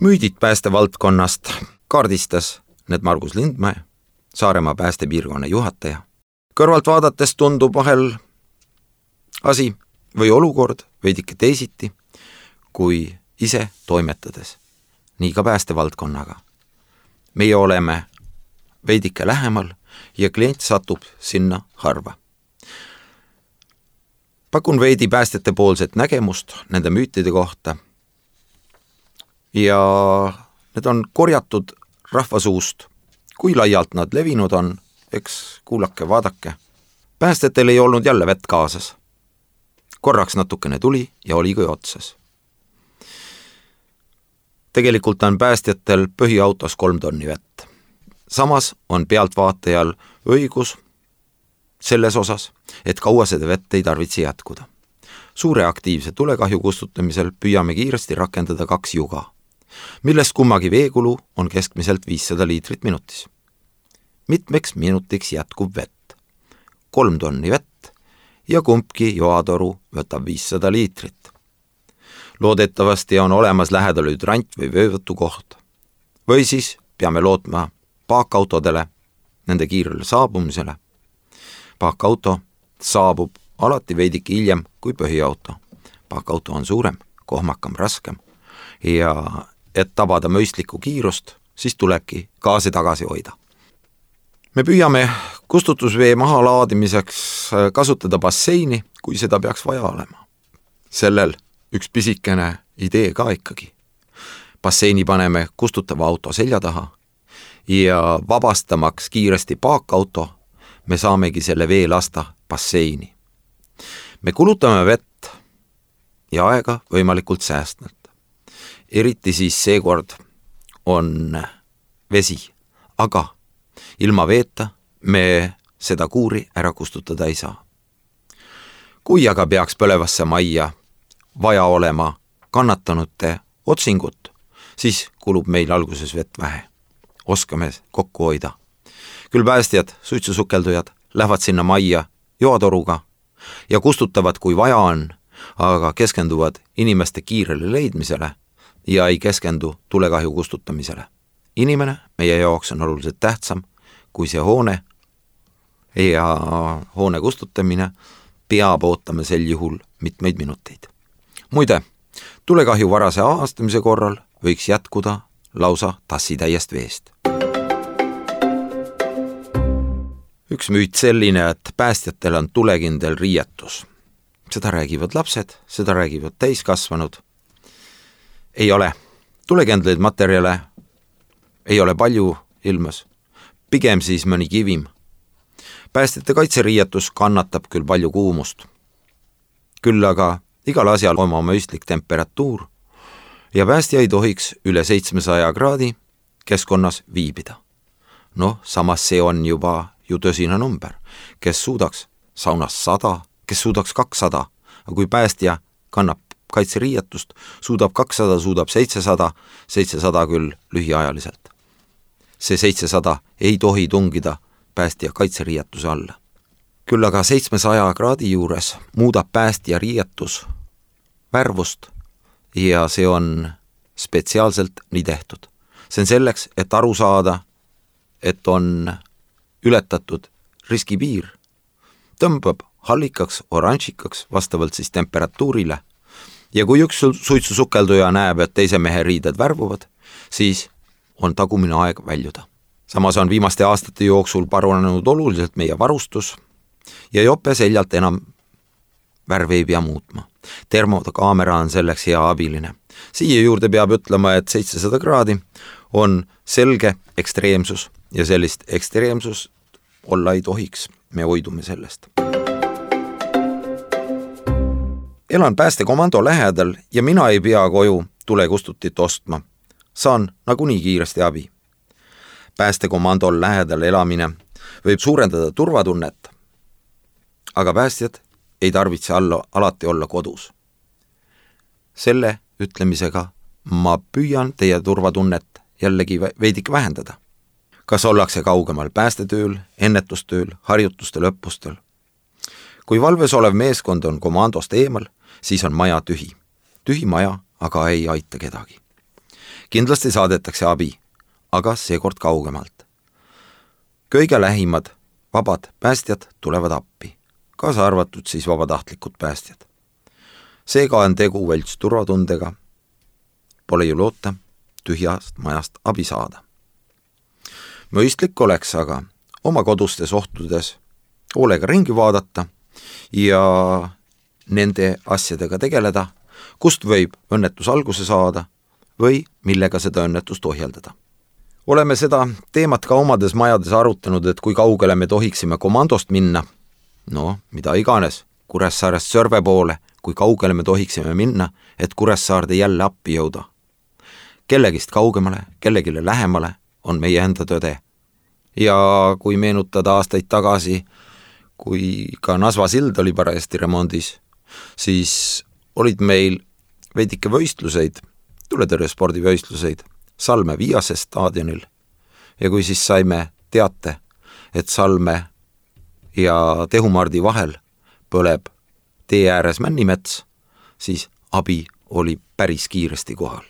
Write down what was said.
Müüdid päästevaldkonnast kaardistas need Margus Lindmäe, Saaremaa päästepiirkonna juhataja. Kõrvalt vaadates tundub vahel asi või olukord veidike teisiti, kui ise toimetades. Nii ka päästevaldkonnaga. Meie oleme veidike lähemal ja klient satub sinna harva. Pakun veidi päästjate poolset nägemust nende müütide kohta ja need on korjatud rahvasuust. Kui laialt nad levinud on, eks kuulake, vaadake. Päästjatel ei olnud jälle vett kaasas. Korraks natukene tuli ja oli kui otsas. Tegelikult on päästjatel põhiautos 3 tonni vett. Samas on pealtvaatajal õigus selles osas, et kaua seda vett ei tarvitse jätkuda. Suure aktiivse tulekahju kustutamisel püüame kiiresti rakendada 2 juga, millest kummagi veekulu on keskmiselt 500 liitrit minutis. Mitmeks minutiks jätkub vett. 3 tonni vett ja kumbki joatoru võtab 500 liitrit. Loodetavasti on olemas lähedal hydrant või vöövõtukoht. Või siis peame lootma paakautodele, nende kiirele saabumisele. Paakauto saabub alati veidike hiljem kui põhiauto. Paakauto on suurem, kohmakam, raskem ja et tabada mõistlikku kiirust, siis tulebki gaasi tagasi hoida. Me püüame kustutusvee maha laadimiseks kasutada basseini, kui seda peaks vaja olema. Sellel üks pisikene idee ka ikkagi. Basseini paneme kustutava auto selja taha ja vabastamaks kiiresti paakauto, me saamegi selle vee lasta basseini. Me kulutame vett ja aega võimalikult säästnud. Eriti siis seekord on vesi, aga ilma veeta me seda kuuri ära kustutada ei saa. Kui aga peaks põlevasse majja vaja olema kannatanute otsingut, siis kulub meil alguses vett vähe. Oskame kokku hoida. Küll päästjad, suitsusukeldujad lähevad sinna majja joatoruga ja kustutavad, kui vaja on, aga keskenduvad inimeste kiirele leidmisele ja ei keskendu tulekahju kustutamisele. Inimene meie jaoks on oluliselt tähtsam kui see hoone ja hoone kustutamine peab ootama sel juhul mitmeid minuteid. Muide, tulekahju varase avastamise korral võiks jätkuda lausa tassitäiest veest. Üks müüt selline, et päästjatel on tulekindel riietus. Seda räägivad lapsed, seda räägivad täiskasvanud. Ei ole. Tulekindlaid materjale ei ole palju ilmas. Pigem siis mõni kivim. Päästjate kaitseriietus kannatab küll palju kuumust. Küll aga igal asjal oma mõistlik temperatuur ja päästja ei tohiks üle 700 kraadi keskkonnas viibida. Samas see on juba ju tõsine number, kes suudaks saunas 100, kes suudaks 200, aga kui päästja kannab kaitseriietust, suudab 200, suudab 700 küll lühiajaliselt. See 700 ei tohi tungida päästja kaitseriietuse alla. Küll aga 700 kraadi juures muudab päästja riietus värvust ja see on spetsiaalselt nii tehtud. See on selleks, et aru saada, et on ületatud riskipiir, tõmbab hallikaks, oranžikaks vastavalt siis temperatuurile ja kui üks suitsusukelduja näeb, et teise mehe riided värvuvad, siis on tagumine aeg väljuda. Samas on viimaste aastate jooksul paranenud oluliselt meie varustus ja jope seljalt enam värve ei pea muutma. Termokaamera on selleks hea abiline. Siia juurde peab ütlema, et 700 kraadi on selge ekstreemsus ja sellist ekstreemsust olla ei tohiks. Me hoidume sellest. Elan päästekomando lähedal ja mina ei pea koju tulekustutit ostma. Saan nagunii kiiresti abi. Päästekomandol lähedal elamine võib suurendada turvatunnet, aga päästjad ei tarvitse alati olla kodus. Selle ütlemisega ma püüan teie turvatunnet jällegi veidik vähendada. Kas ollakse kaugemal päästetööl, ennetustööl, harjutustel, õppustel? Kui valves olev meeskond on komandost eemal, siis on maja tühi. Tühi maja aga ei aita kedagi. Kindlasti saadetakse abi, aga seekord kaugemalt. Kõige lähimad vabad päästjad tulevad appi, kaasa arvatud siis vabatahtlikud päästjad. Seega on tegu välts turvatundega, pole ju loota tühjast majast abi saada. Mõistlik oleks aga oma kodustes ohtudes hoolega ringi vaadata ja nende asjadega tegeleda, kust võib õnnetus alguse saada või millega seda õnnetust ohjeldada. Oleme seda teemat ka omades majades arutanud, et kui kaugele me tohiksime komandost minna, mida iganes, Kuressaarest Sõrve poole, kui kaugele me tohiksime minna, et Kuressaarde jälle appi jõuda. Kellegist kaugemale, kellegile lähemale on meie enda tõde. Ja kui meenutada aastaid tagasi, kui ka Nasva sild oli parajasti remondis, siis olid meil veidike võistluseid, tuletõrjespordivõistluseid Salme Viiase staadionil. Ja kui siis saime teate, et Salme ja Tehumardi vahel põleb tee ääres männimets, siis abi oli päris kiiresti kohal.